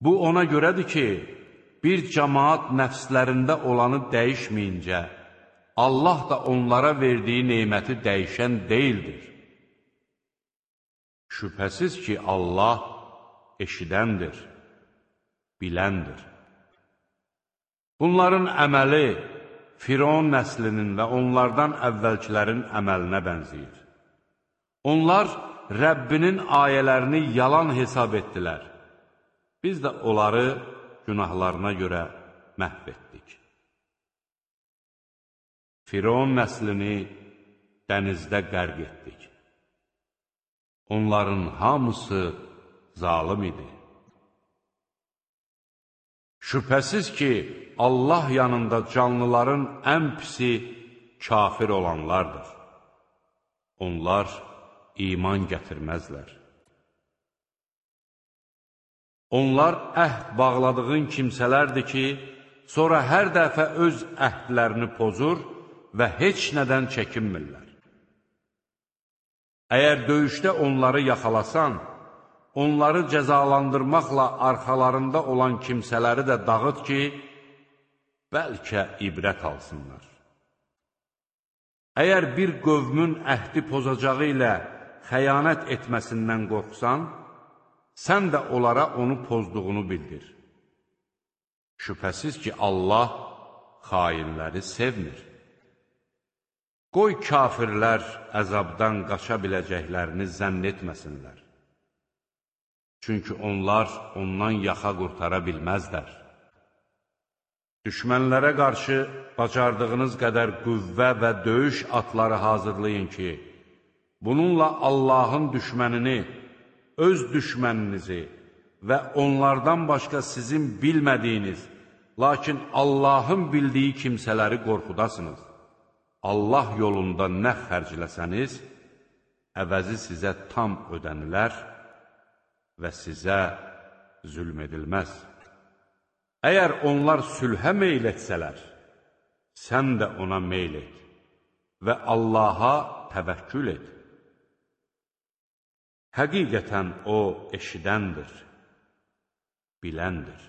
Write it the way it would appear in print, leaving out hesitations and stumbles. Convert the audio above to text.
Bu ona görədir ki, bir cəmaat nəfslərində olanı dəyişməyincə, Allah da onlara verdiyi neməti dəyişən deyildir. Şübhəsiz ki, Allah eşidəndir, biləndir. Bunların əməli Firon nəslinin və onlardan əvvəlkilərin əməlinə bənzəyir. Onlar Rəbbinin ayələrini yalan hesab etdilər. Biz də onları günahlarına görə məhv etdik. Firon nəslini dənizdə qərq etdik. Onların hamısı zalım idi. Şübhəsiz ki, Allah yanında canlıların ən pisi kafir olanlardır. Onlar iman gətirməzlər. Onlar əhd bağladığın kimsələrdir ki, sonra hər dəfə öz əhdlərini pozur və heç nədən çəkinmirlər. Əgər döyüşdə onları yaxalasan, onları cəzalandırmaqla arxalarında olan kimsələri də dağıt ki, bəlkə ibrət alsınlar. Əgər bir qövmün əhdi pozacağı ilə xəyanət etməsindən qorxsan, sən də onlara onu pozduğunu bildir. Şübhəsiz ki, Allah xainləri sevmir. Qoy kafirlər əzabdan qaça biləcəklərini zənn etməsinlər. Çünki onlar ondan yaxa qurtara bilməzlər. Düşmənlərə qarşı bacardığınız qədər qüvvə və döyüş atları hazırlayın ki, bununla Allahın düşmənini, öz düşməninizi və onlardan başqa sizin bilmədiyiniz, lakin Allahın bildiyi kimsələri qorxudasınız. Allah yolunda nə xərcləsəniz, əvəzi sizə tam ödənilər və sizə zülm edilməz. Əgər onlar sülhə meyl etsələr, sən də ona meyl et və Allaha təvəkkül et. Həqiqətən O eşidəndir, biləndir.